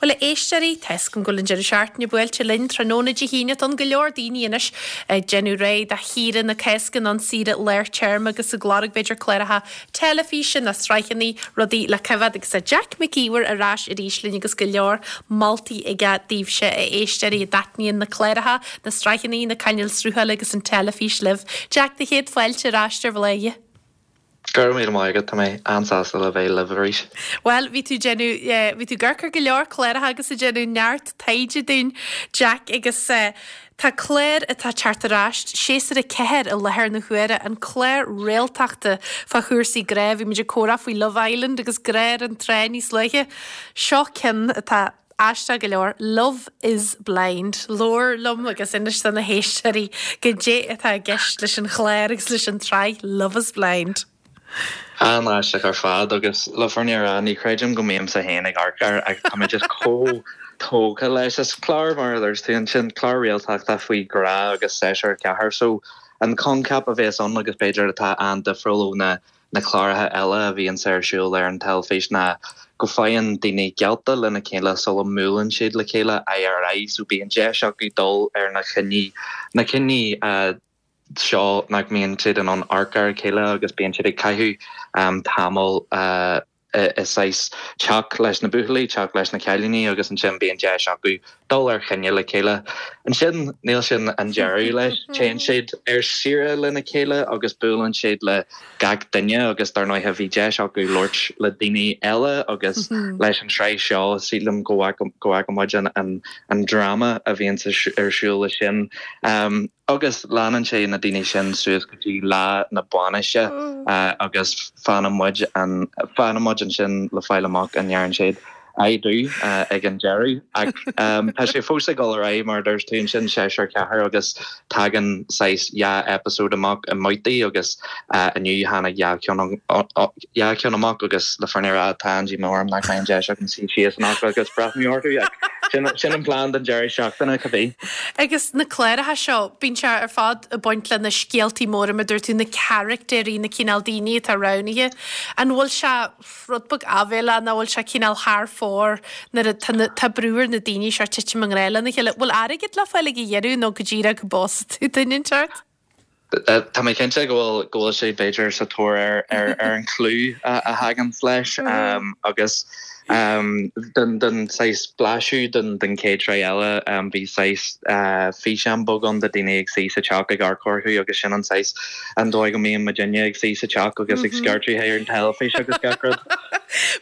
Bhuel, a éisteoirí, tá 'fhios agam go bhfuil an deireadh seachtaine buailte linn tráthnóna Dé hAoine. Tá go leor daoine anois ag déanamh réidh do shaoire na Cásca nó an saoire lár téarma agus ag lorg b'fhéidir cláracha teilifíse nó sraitheanna, rudaí le coimhéad agus tá Jack Mac Íomhair ar ais arís linn agus go leor moltaí aige daoibhse, a éisteoirí, a dtaitníonn na cláracha, na sraitheanna, na cainéil sruthála agus an teilifís libh. Jack, do chéad fáilte ar ais ar Bhláth. Go raibh míle maith agat, tá mé an-sásta le bheith libh arís. Bhuel, bhí tú ag déanamh, bhí tú ag amharc ar go leor cláracha agus ag déanamh neart taighde dúinn, Jack, agus tá clár atá ag teacht ar ais, séasúr 4 i láthair na huaire, an clár réaltachta fá chúrsaí grá, bhí muid ag comhrá faoi Love Island agus grá ar an trá níos luaithe. Seo ceann atá. Aisteach go leor, Love is Blind. Labhair liom agus inis do na héisteoirí goidé atá i gceist leis an chlár agus leis an tsraith Love is Blind. An-aisteach ar fad agus le fírinne a rá ní chreidim go mbímse féin ag amharc air ach tá mé just chomh tógtha leis. Is clár mar a dúirt tú ansin, clár réaltachta faoi ghrá agus seisear ceathar so an coincheap a bhéas ann agus b'fhéidir atá an-difriúil ó na na cláracha eile a bhíonns ar siúl ar an teilifís ná go faigheann daoine geallta lena chéile sula mbuaileann siad le chéile aghaidh ar aghaidh so bíonn deis acu dul ar na coinní na coinní seo nach mbíonn siad in ann amharc ar a chéile agus bíonn siad ag caitheamh tamall i saghas teach leis na buachaillí, teach leis na cailíní agus ansin bíonn deis acu dul ar choinne le chéile. Ansin, níl sin an deireadh leis, téann siad ar saoire lena chéile agus buaileann siad le gach duine agus dar ndóighe bhí deis acu labhairt le daoine eile agus leis an tsraith seo sílim go bhfaca muid an dráma a bhíonn ar siúl leis sin. Agus leanann sé na daoine sin suas go dtí lá na bainise agus fanann muid fanann muid ansin le fáil amach an ndearna siad I do ag an deireadh. Ach tá sé fós ag dul ar aghaidh mar a dúirt tú ansin, séasúr 4 agus tagann saghas dhá eipeasóid amach i mbabhtaí agus inniu tháinig dhá cheann dhá cheann amach agus le fírinne a rá tá an-díomá orm nach mbeidh an deis agam suí síos anocht agus breathnú orthu ach sin sin an plean don deireadh seachtaine, cibé. Agus na cláracha seo, bíonn sé ar fad ag baint le na scéaltaí móra mar a dúirt tú, na caractéirí, na cineál daoine atá roghnaithe. An bhfuil sé rud beag áibhéileach nó bhfuil sé cineál thar fóir nuair atá na, tá brú ar na daoine seo titim i ngrá lena chéile? Bhfuil airgead le fáil ag an dheireadh nó go díreach go bpósfaidh tú duine inteacht? Tá mé cinnte go bhfuil go bhfuil sé b'fhéidir sa tóir ar ar ar an clú a thaganns leis agus den den saghas blaiseadh den den chéad sraith eile bhí saghas físeán beag ann de daoine ag suí sa teach ag amharc orthu agus sin an saghas an dóigh go mbíonn muidinne ag suí sa teach agus ag scairteadh ar an teilifís agus gach rud.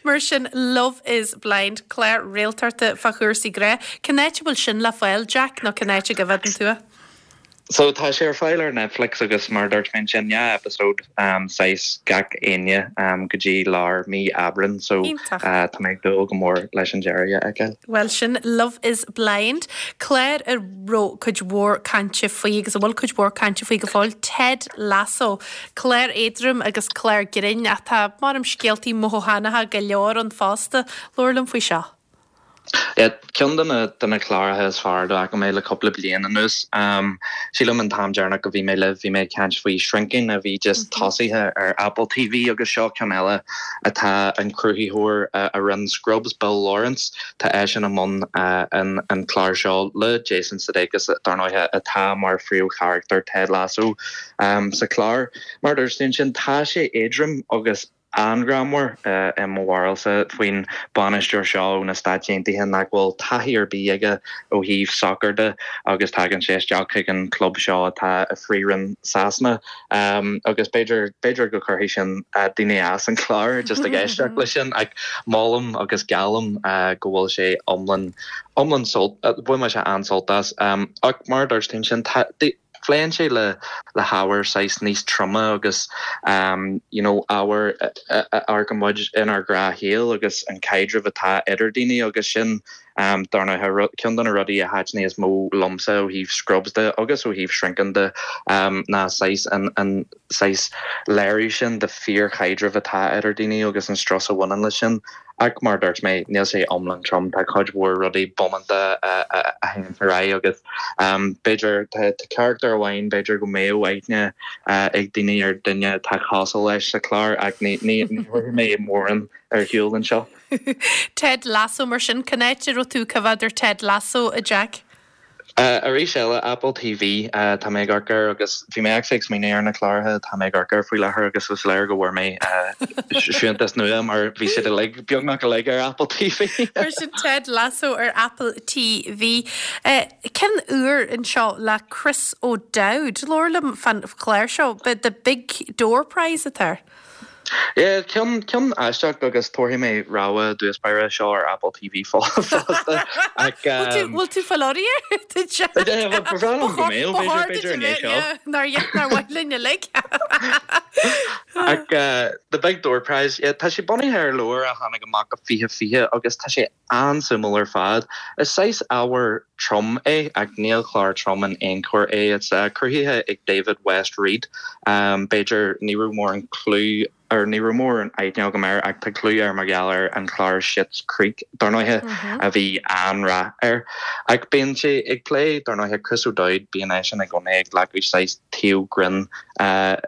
Mar sin Love is Blind, clár réaltachta fá chúrsaí grá. Cén áit a bhfuil sin le fáil, Jack, nó cén áit a gcoimhéadann tú é? So tá sé ar fáil ar Netflix agus mar a dúirt mé ansin, dhá eipeasóid saghas gach Aoine go dtí lár mí Aibreán so tá mé ag dúil go mór leis an deireadh a fheiceáil. Bhuel sin Love is Blind, clár a raibh cuid mhór cainte faoi agus a bhfuil cuid mhór cainte faoi go fóill, Ted Lasso, clár éadrom agus clár grinn ach tá, maram, scéaltaí mothúchánacha go leor ann fosta. Labhair liom faoi seo. Ceann de na de na cláracha is fearr dá bhfaca mé le cúpla bliain anuas. Sílim an t-am deireanach go bhí mé libh bhí mé ag caint faoi Shrinking a bhí just tosaithe ar Apple TV agus seo ceann eile atá an cruthaitheoir a rinne Scrubs, Bill Lawrence, tá eisean i mbun an an clár seo le Jason Sudeikis dar ndóighe atá mar phríomhcharachtar Ted Lasso sa chlár. Mar a dúirt tú ansin tá sé éadrom agus an-ghreannmhar, i mo bharúilsa, faoin bainisteoir seo ó na Stáit Aontaithe nach bhfuil taithí ar bith aige ó thaobh sacair de agus tagann sé isteach chuig an chlub seo atá i Phríomhroinn Sasana agus b'fhéidir, b'fhéidir go gcuirfidh sin daoine as an chlár just ag éisteacht leis sin ach molaim agus geallaim go bhfuil sé iomlán, iomlán sult, bhain mise an-sult as. Ach mar a dúirt tú ansin, tá. Pléann sé le le hábhair saghas níos troime agus you know ábhair a amharcann muid inár ngnáthshaol agus an caidreamh atá idir daoine agus sin dar ndóighe ceann de na rudaí a thaitnigh is mó liomsa ó thaobh Scrubs de agus ó thaobh Shrinking de ná saghas an an saghas léiriú sin de fíorchaidreamh atá idir daoine agus an strus a bhaineann leis sin. Ach mar a dúirt mé, níl sé iomlán trom, tá cuid mhór rudaí bómánta a. théann ar aghaidh agus b'fhéidir tá carachtar amháin b'fhéidir go mbeadh aithne ag daoine ar duine atá cosúil leis sa chlár ach ní thabharfaidh mé mórán ar shiúl anseo. Ted Lasso mar sin, cén áit a raibh tú ag coimhéad ar Ted Lasso, a Jack? Arís eile, Apple TV tá mé ag amharc air agus bhí mé actually ag smaoineamh ar na cláracha atá mé ag amharc air faoi láthair agus is léir go bhfuair mé siúntas nua mar bhí siad uilig, beagnach uilig ar Apple TV. Mar sin Ted Lasso ar Apple TV. Ceann úr anseo le Chris O'Dowd. Labhair liom fán chlár seo, The Big Door Prize atá air. Yeah, ceann, ceann aisteach agus tabharfaidh mé rabhadh i dtús báire, seo ar Apple TV fosta ach Bhfuil tú, bhfuil tú fáil orainn air? Ba bhreá liom go mbeadh, b'fhéidir, b'fhéidir i ndiaidh seo. Nár, nár mhaith linn uilig. Ach The Big Door Prize, yeah, tá sé bunaithe ar leabhar a tháinig amach i 2020 agus tá sé an-suimiúil ar fad. Is saghas ábhar trom é, ach níl clár trom in aon chor é. It's cruthaithe ag David West Read. B'fhéidir ní raibh mórán clú or ní raibh mórán aithne agam air ach tá clú air mar gheall ar an chlár Schitt's Creek, dar ndóighe, a bhí an-rath air. Ach bíonn sé ag plé, dar ndóighe, Chris O'Dowd, bíonn eisean i gcónaí ag glacadh saghas taobh grinn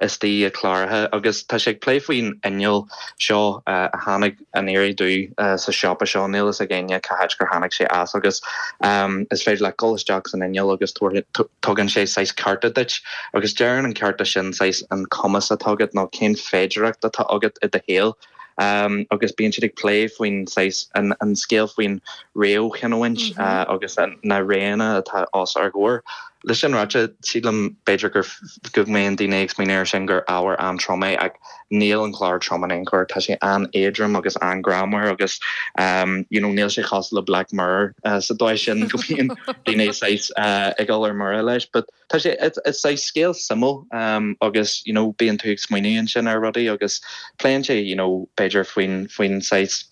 istigh i gcláracha agus tá sé ag plé faoin inneall seo a tháinig aniar aduaidh sa siopa seo, níl fhios ag éinne cá háit gur tháinig sé as agus is féidir leat dul isteach san inneall agus tugann sé saghas cárta duit agus deireann an cárta sin saghas an cumas atá agat nó cén féidireacht atá agat i do shaol agus bíonn siad ag plé faoin saghas an scéal faoin réamhchinniúint agus na roghanna atá os ár gcomhair. Leis sin ráite, sílim b'fhéidir gur go mbíonn daoine ag smaoineamh air sin gur ábhar an-trom é ach Níl an clár trom in aon chor, tá sé an-éadrom agus an-ghreannmhar agus you know níl sé cosúil le Black Mirror sa dóigh sin go mbíonn daoine saghas ag dul ar mire leis. But tá sé, it's saghas scéal suimiúil agus you know bíonn tú ag smaoineamh ansin ar rudaí agus pléann sé you know b'fhéidir faoin faoin saghas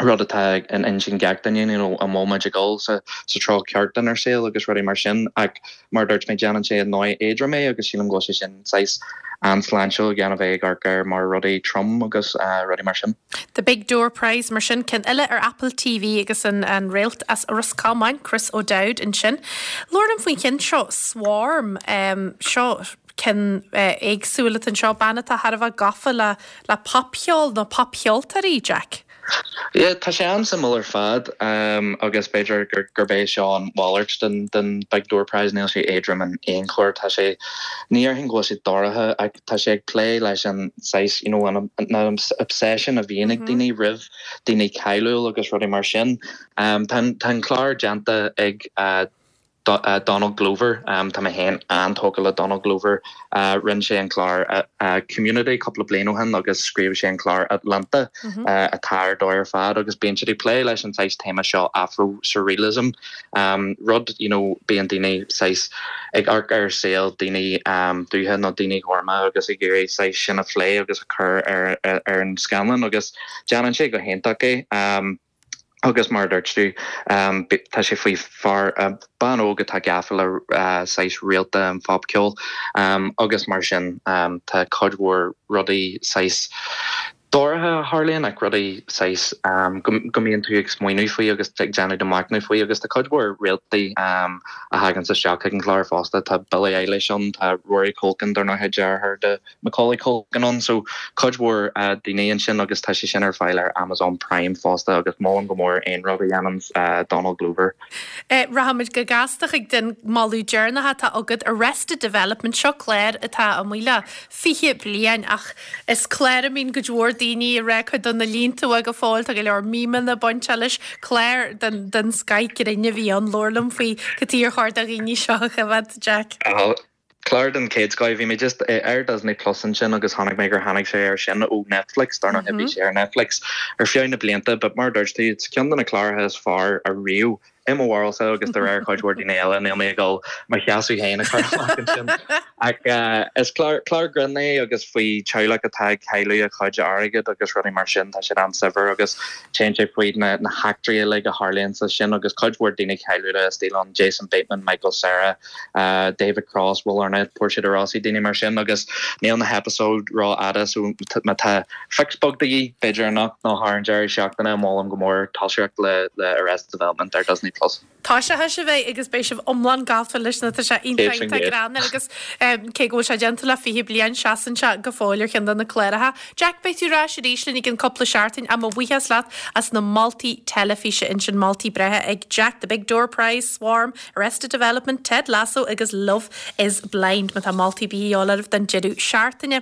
rud atá in intinn gach duine, you know, an bhfuil muid ag dul sa treo ceart inár saol agus rudaí mar sin ach mar a dúirt mé déanann sé i ndóigh éadrom é agus sílim go bhfuil sé sin saghas an-sláintiúil gan a bheith ag amharc air mar rudaí trom agus rudaí mar sin. The Big Door Prize mar sin, ceann eile ar Apple TV agus an an réalt as Ros Comáin, Chris O'Dowd ansin. Labhair liom faoin cheann seo, Swarm, seo ceann éagsúil atá anseo, bean atá thar a bheith gafa le le popcheol nó popcheoltóirí, Jack? Yeah, tá sé an-suimiúil ar fad agus b'fhéidir gurb é seo an mhalairt den den Big Door Prize, níl sé éadrom in aon chor, tá sé, ní dhéarfainn go bhfuil sé dorcha ach tá sé ag plé leis an saghas, you know, an obsession a bhíonn ag daoine roimh daoine cáiliúil agus rudaí mar sin. Tá an clár déanta ag Donald Glover, Tá mé féin an-tógtha le Donald Glover. Rinne sé an clár Community cúpla bliain ó shin agus scríobh sé an clár Atlanta atá ar dóigh ar fad agus bíonn siad ag plé leis an saghas téama seo Afro-surrealism, rud you know bíonn daoine saghas ag amharc ar saol daoine dubha nó daoine gorma agus ag iarraidh saghas sin a phlé agus a chur ar ar an scáileán agus déanann sé go hiontach é. Agus mar a dúirt tú, tá sé faoi fear, bean óg atá gafa le saghas réalta an phopcheoil agus mar sin tá cuid mhór rudaí saghas dorcha a tharlaíonn ach rudaí saghas go mbíonn tú ag smaoineamh faoi agus ag déanamh do mhachnamh faoi agus tá cuid mhór réaltaí a thaganns isteach chuig an chlár fosta. Tá Billie Eilish ann, tá Rory Culkin dar ndóigh, deartháir de Macaulay Culkin ann so cuid mhór daoine ansin agus tá sé sin ar fáil ar Amazon Prime fosta agus molaim go mór aon rud a dhéananns Donald Glover. Rachaimid go gasta chuig an moladh deireanach atá agat, Arrested Development, seo clár atá amuigh le 20 bliain ach is clár a mbíonn cuid mhór daoine ag rá cuid de na línte uaidh go fóill, tá go leor memeanna bainteach leis, clár den scoith grinn a bhí ann, labhair liom faoi cad chuige ar chóir do dhaoine seo a choimhéad, Jack. Clár den chéad scoith. Bhí mé just ar Disney Plus ansin agus chonaic mé gur tháinig sé air sin ó Netflix, dar ndóigh bhí sé ar Netflix ar feadh na blianta but mar a dúirt tú, it's ceann de na cláracha is fearr ariamh i mo bharúilsa agus de réir cuid mhór daoine eile, níl mé ag dul mo sheasamh féin a chur amach ansin. Ach is clár, clár grinn é agus faoi teaghlach atá ag cailleadh a chuid airgid agus rudaí mar sin, tá siad an-saibhir agus téann sé faoi na na heachtraí uilig a tharlaíonn sa sin agus cuid mhór daoine cáiliúla istigh ann, Jason Bateman, Michael Cera, David Cross, Will Arnett, Portia de Rossi, daoine mar sin agus níl na heipeasóid rófhada so má tá fix beag de dhíth, b'fhéidir anocht nó thar an deireadh seachtaine, molaim go mór toiseacht le Arrested Development ar Disney Plus. Plus. Tá sé théis a bheith agus beidh sibh iomlán gafa leis nó tá sé iontach iontach greannmhar agus cé go bhfuil sé déanta le 20 bliain seasann sé go fóill ar cheann de na cláracha. Jack, beidh tú ar ais arís linn i gcionn cúpla seachtain ach mo bhuíochas leat as na moltaí teilifíse ansin, moltaí breátha ag Jack, The Big Door Prize, Swarm, Arrested Development, Ted Lasso agus Love is Blind. Má tá moltaí ar bith a dhíobháil oraibh don deireadh seachtaine.